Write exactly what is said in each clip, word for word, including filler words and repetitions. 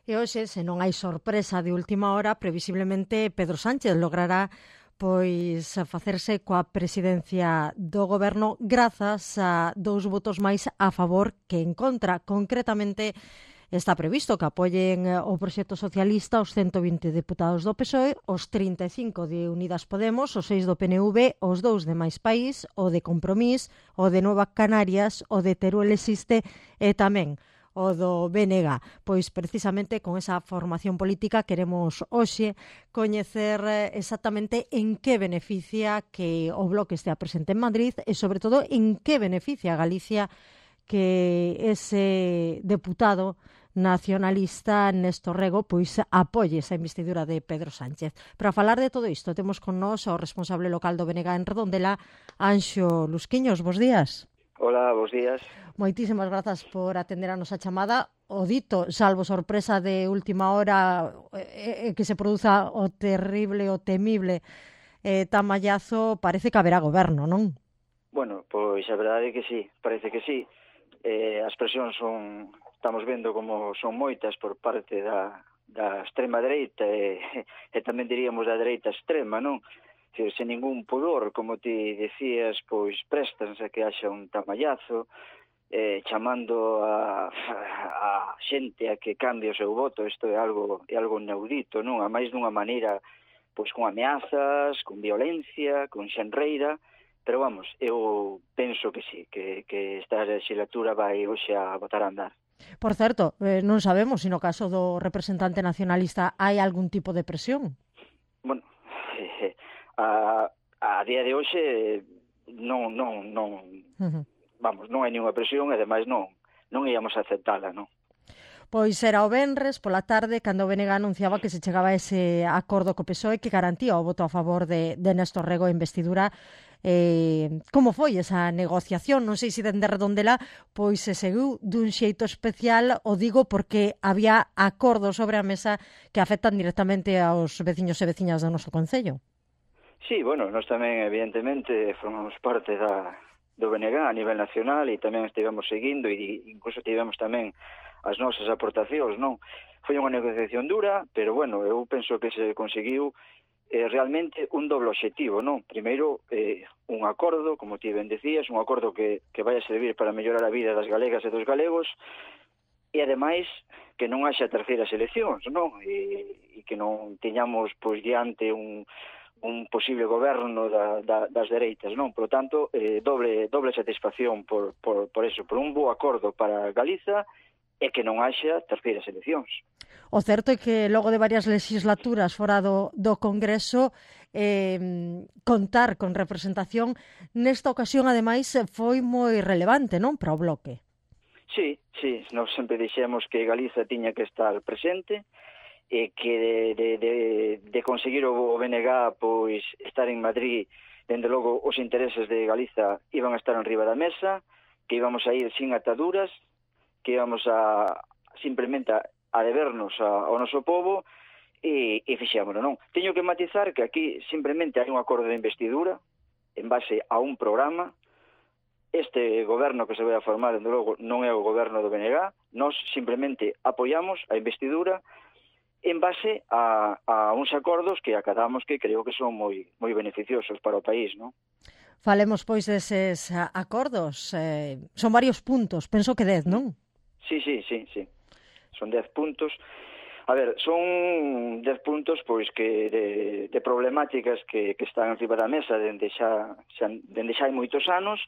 E hoxe, se non hai sorpresa de última hora, previsiblemente Pedro Sánchez logrará pois facerse coa presidencia do goberno grazas a dous votos máis a favor que en contra. Concretamente, está previsto que apoien o proxecto socialista os ciento vinte deputados do P S O E, os trinta e cinco de Unidas Podemos, os seis do P N V, os dous de Máis País, o de Compromís, o de Nova Canarias, o de Teruel Existe e tamén o do B N G. Pois precisamente con esa formación política queremos hoxe coñecer exactamente en que beneficia que o Bloque estea presente en Madrid e sobre todo en que beneficia a Galicia que ese deputado nacionalista Néstor Rego pois apoie esa investidura de Pedro Sánchez. Para falar de todo isto temos con nós o responsable local do B N G en Redondela, Anxo Lusquiños. Bos días. Hola, bos días. Moitísimas grazas por atender a nosa chamada. O dito, salvo sorpresa de última hora eh, eh, que se produza o terrible, o temible eh, tamallazo, parece que haberá goberno, non? Bueno, pois a verdade é que sí, parece que sí. Eh, as presións son, estamos vendo como son moitas por parte da, da extrema dereita e, e tamén diríamos da dereita extrema, non? Que sen ningún pudor, como ti decías, pois prestanse a que haxa un tamallazo, eh, chamando a, a xente a que cambie o seu voto. Isto é algo é algo inaudito, non? A máis dunha maneira, pois con ameazas, con violencia, con xenreira, pero vamos, eu penso que sí, que, que esta legislatura vai hoxe a botar a andar. Por certo, eh, non sabemos se no caso do representante nacionalista hai algún tipo de presión. Bueno, eh, a, a día de hoxe non, non, non, uh-huh. vamos, non hai nenhuma presión e ademais non, non íamos a aceptala, non? Pois era o venres pola tarde cando o B N G anunciaba que se chegaba a ese acordo co P S O E que garantía o voto a favor de, de Néstor Rego en investidura. Eh, como foi esa negociación? Non sei se dende Redondela pois se seguiu dun xeito especial, o digo porque había acordos sobre a mesa que afectan directamente aos veciños e veciñas do noso concello. Sí, bueno, nós tamén evidentemente formamos parte da, do B N G a nivel nacional e tamén estivemos seguindo e incluso tivemos tamén as nosas aportacións, non? Foi unha negociación dura, pero bueno, eu penso que se conseguiu eh, realmente un doble objetivo, non? Primeiro, eh, un acordo, como ti ben decías, un acordo que, que vai a servir para mellorar a vida das galegas e dos galegos e ademais que non haxa terceiras eleccións, non? E, e que non teñamos pois diante un un posible goberno da, da, das dereitas, non? Por lo tanto, eh, doble, doble satisfacción por, por, por eso, por un bo acordo para Galiza e que non haxa terceiras eleccións. O certo é que logo de varias legislaturas fora do, do Congreso, eh, contar con representación nesta ocasión, ademais, foi moi relevante, non? Para o Bloque. Sí, sí, nós sempre dixemos que Galiza tiña que estar presente, e que de, de, de, de conseguir o B N G pois estar en Madrid, dende logo os intereses de Galiza iban a estar en riba da mesa, que íbamos a ir sin ataduras, que íbamos a simplemente a, a debernos a, ao noso povo e, e fixémoslo, non? Teño que matizar que aquí simplemente hai un acordo de investidura en base a un programa. Este goberno que se vai a formar, dende logo, non é o goberno do B N G, nós simplemente apoiamos a investidura en base a, a uns acordos que acadamos que creo que son moi moi beneficiosos para o país, non? Falemos, pois, deses acordos. Eh, son varios puntos, penso que dez, non? Sí, sí, sí, sí. Son dez puntos. A ver, son dez puntos pois que de, de problemáticas que, que están encima da mesa dende xa, xa, dende xa hai moitos anos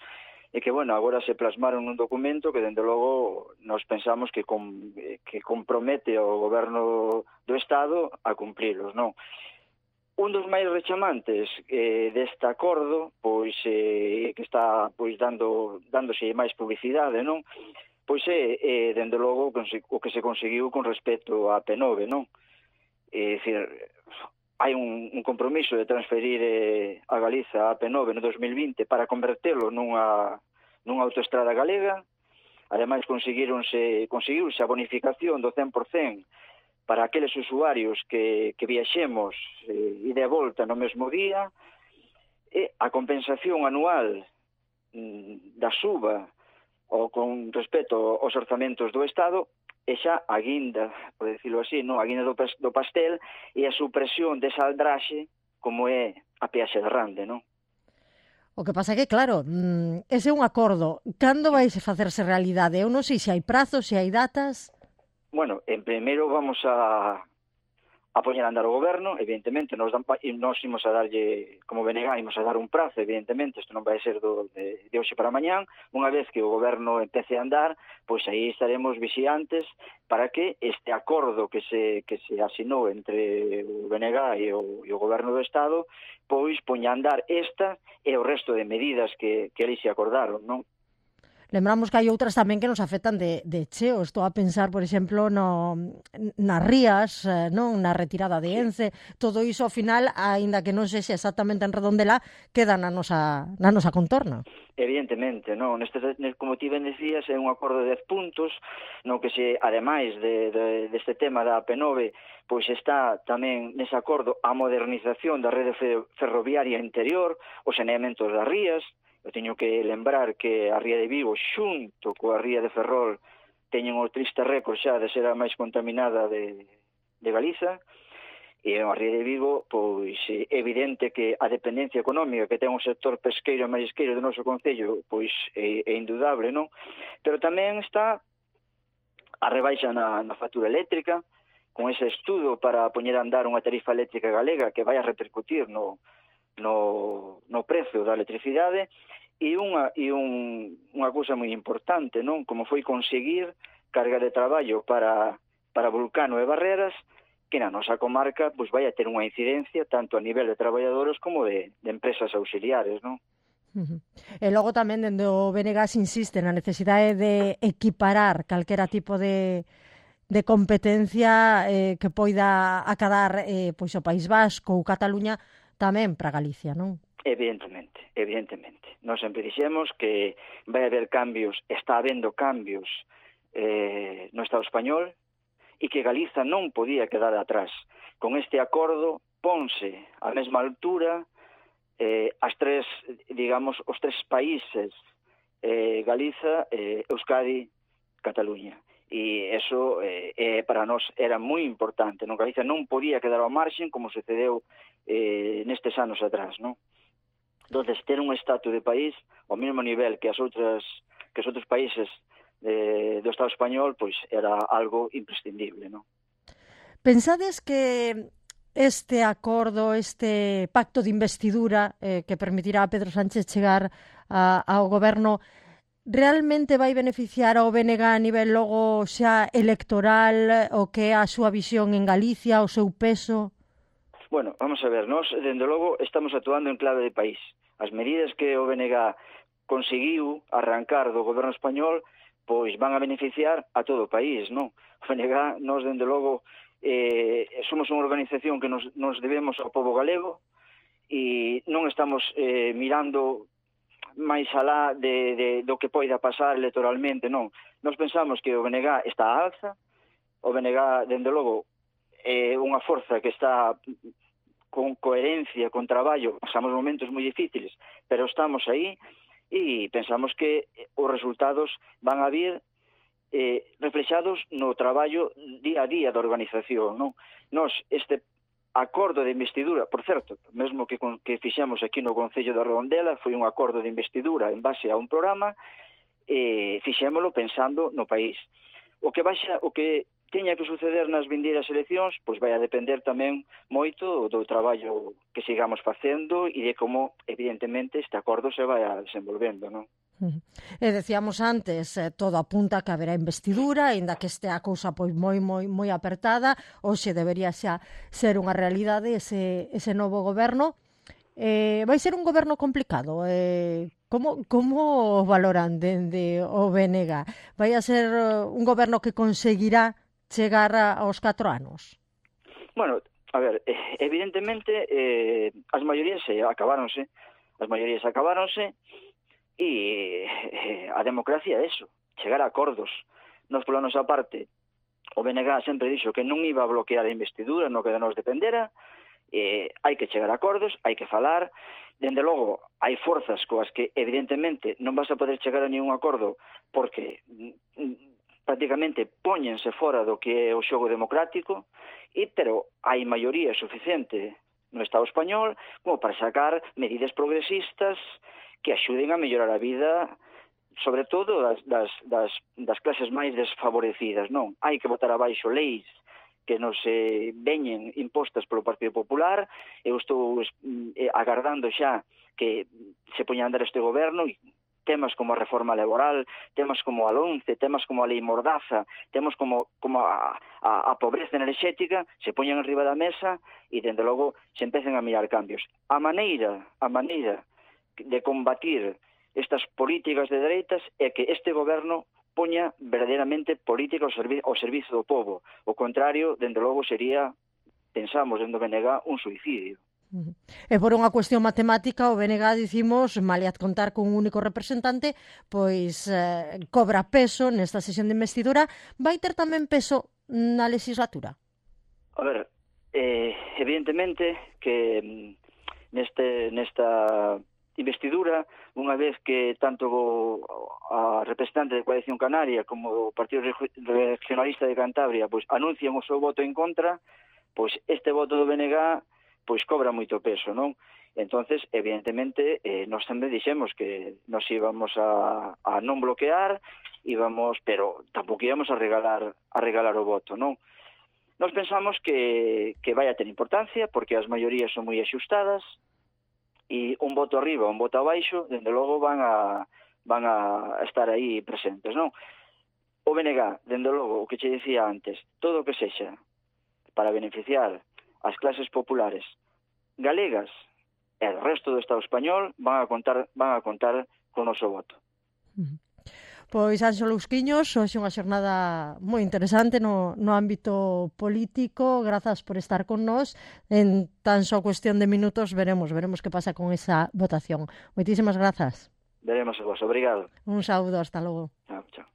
e que, bueno, agora se plasmaron nun documento que, dende logo, nós pensamos que, com, que compromete ao goberno do Estado a cumprilos, non? Un dos máis rechamantes eh, deste acordo, pois, eh, que está pois dando dándose máis publicidade, non? Pois é, eh, dende logo, o que se conseguiu con respecto á P nove, non? É dicir, hai un, un compromiso de transferir eh, a Galiza a P nove no dos mil vinte para convertelo nunha, nunha autoestrada galega. Ademais, conseguironse, conseguiuse a bonificación do cen por cento para aqueles usuarios que, que viaxemos eh, ida e volta no mesmo día, e a compensación anual mm, da suba ou con respecto aos orzamentos do Estado e xa a guinda, por decirlo así, no? A guinda do, do pastel e a supresión desa aldraxe como é a peaxe de Rande, non? O que pasa é que, claro, ese é un acordo. Cando vai facerse realidade? Eu non sei se hai prazos, se hai datas. Bueno, en primeiro vamos a a poñer a andar o goberno, evidentemente, nos, dan, nos imos a darlle, como B N G, imos a dar un prazo, evidentemente, isto non vai ser do, de, de hoxe para mañán, unha vez que o goberno empece a andar, pois aí estaremos vixiantes para que este acordo que se, que se asinou entre o B N G e o, e o goberno do Estado, pois poña a andar esta e o resto de medidas que, que eles se acordaron, non? Lembramos que hai outras tamén que nos afectan de, de cheo. Estou a pensar, por exemplo, no, nas rías, non, na retirada de Ence. Todo iso, ao final, aínda que non sexa exactamente en Redondela, queda na nosa, na nosa contorna. Evidentemente, non. Neste, como ti ben decías, é un acordo de dez puntos, no que se, ademais de, de, deste tema da A P nove, pois está tamén nese acordo a modernización da rede ferroviaria interior, os saneamentos das rías. Eu teño que lembrar que a ría de Vigo, xunto coa ría de Ferrol, teñen o triste récord xa de ser a máis contaminada de, de Galiza, e a ría de Vigo, pois é evidente que a dependencia económica que ten o sector pesqueiro e marisqueiro do noso concello, pois é, é indudable, non? Pero tamén está a rebaixa na, na factura eléctrica, con ese estudo para poñer a andar unha tarifa eléctrica galega que vai a repercutir no no, no prezo da electricidade, e unha, e un, unha cousa moi importante, non? Como foi conseguir carga de traballo para, para Vulcano e Barreras, que na nosa comarca pois vai a ter unha incidencia tanto a nivel de traballadores como de, de empresas auxiliares, non? Uh-huh. E logo tamén dende o B N G se insiste na necesidade de equiparar calquera tipo de de competencia eh, que poida acadar eh, pois o País Vasco ou Cataluña tamén para Galicia, non? Evidentemente, evidentemente. Nós sempre dixemos que vai haber cambios, está habendo cambios eh, no Estado español e que Galiza non podía quedar atrás. Con este acordo ponse á mesma altura eh, as tres, digamos, os tres países, eh, Galiza, eh, Euskadi, Cataluña. E eso eh, eh, para nós era moi importante, non? Galiza non podía quedar ao marxen como sucedeu eh, nestes anos atrás, non? Entonces, ter un estatus de país ao mesmo nivel que as outras que os outros países de, do Estado español, pois era algo imprescindible, non? Pensades que este acordo, este pacto de investidura eh, que permitirá a Pedro Sánchez chegar a, ao goberno realmente vai beneficiar ao B N G a nivel logo xa electoral, o que é a súa visión en Galicia, o seu peso? Bueno, vamos a ver, nós, dende logo, estamos actuando en clave de país. As medidas que o B N G conseguiu arrancar do goberno español, pois van a beneficiar a todo o país, non? O B N G, nós, dende logo, eh, somos unha organización que nos, nos debemos ao povo galego e non estamos eh, mirando máis alá de, de, do que poida pasar electoralmente, non. Nós pensamos que o B N G está a alza, o B N G, dende logo, é unha forza que está con coherencia, con traballo, pasamos momentos moi difíciles, pero estamos aí e pensamos que os resultados van a vir eh, reflexados no traballo día a día da organización, non? Nos, este acordo de investidura, por certo, mesmo que, que fixemos aquí no Concello da Redondela, foi un acordo de investidura en base a un programa, e fixémolo pensando no país. O que baixa, o que teña que suceder nas vindeiras eleccións, pois vai a depender tamén moito do traballo que sigamos facendo e de como, evidentemente, este acordo se vai a desenvolvendo, non? E decíamos antes, eh, todo apunta que haberá investidura, ainda que este a cousa pois moi moi moi apertada, hoxe debería xa ser unha realidade ese, ese novo goberno. Eh, vai ser un goberno complicado. Eh, como, como valoran dende o B N G? Vai a ser un goberno que conseguirá chegar aos catro anos? Bueno, a ver, evidentemente eh, as maiorías eh, acabáronse, as maiorías acabáronse e eh, a democracia é eso, chegar a acordos. Nos pola nosa parte, o B N G sempre dixo que non iba a bloquear a investidura no que de nos dependera, eh, hai que chegar a acordos, hai que falar. Dende logo, hai forzas coas que evidentemente non vas a poder chegar a ningún acordo porque prácticamente póñense fora do que é o xogo democrático, e pero hai maioría suficiente no Estado español como para sacar medidas progresistas que axuden a mellorar a vida, sobre todo das, das, das, das clases máis desfavorecidas, non? Hai que botar abaixo leis que nos eh, veñen impostas polo Partido Popular. Eu estou eh, agardando xa que se poña a andar este goberno, e temas como a reforma laboral, temas como a LOMCE, temas como a lei Mordaza, temas como, como a, a, a pobreza enerxética, se poñan arriba da mesa e, dende logo, se empecen a mirar cambios. A maneira, a maneira de combatir estas políticas de dereitas é que este goberno poña verdadeiramente política ao, servi ao servizo do povo. O contrario, dende logo, sería, pensamos, dentro do B N G, un suicidio. E por unha cuestión matemática, o B N G, dicimos, maliad contar con un único representante, pois eh, cobra peso nesta sesión de investidura. Vai ter tamén peso na legislatura? A ver, eh, evidentemente que neste, nesta investidura, unha vez que tanto a representante de Coalición Canaria como o Partido Regionalista de Cantabria pois anuncian o seu voto en contra, pois este voto do B N G pois cobra moito peso, non? Entonces, evidentemente, eh, nós sempre dixemos que nos íbamos a, a non bloquear, íbamos, pero tampouco íbamos a regalar a regalar o voto, non? Nós pensamos que, que vai a ter importancia, porque as maiorías son moi axustadas, e un voto arriba, un voto abaixo, dende logo van a, van a estar aí presentes, non? O B N G, dende logo, o que che dicía antes, todo o que sexa para beneficiar as clases populares galegas e o resto do Estado español van a contar van a contar con o noso voto. Pois, Anxo Lousquiños, hoxe unha xornada moi interesante no, no ámbito político. Grazas por estar con nós. En tan só cuestión de minutos veremos, veremos que pasa con esa votación. Moitísimas grazas. Veremos a vos. Obrigado. Un saúdo, hasta logo. Chao, chao.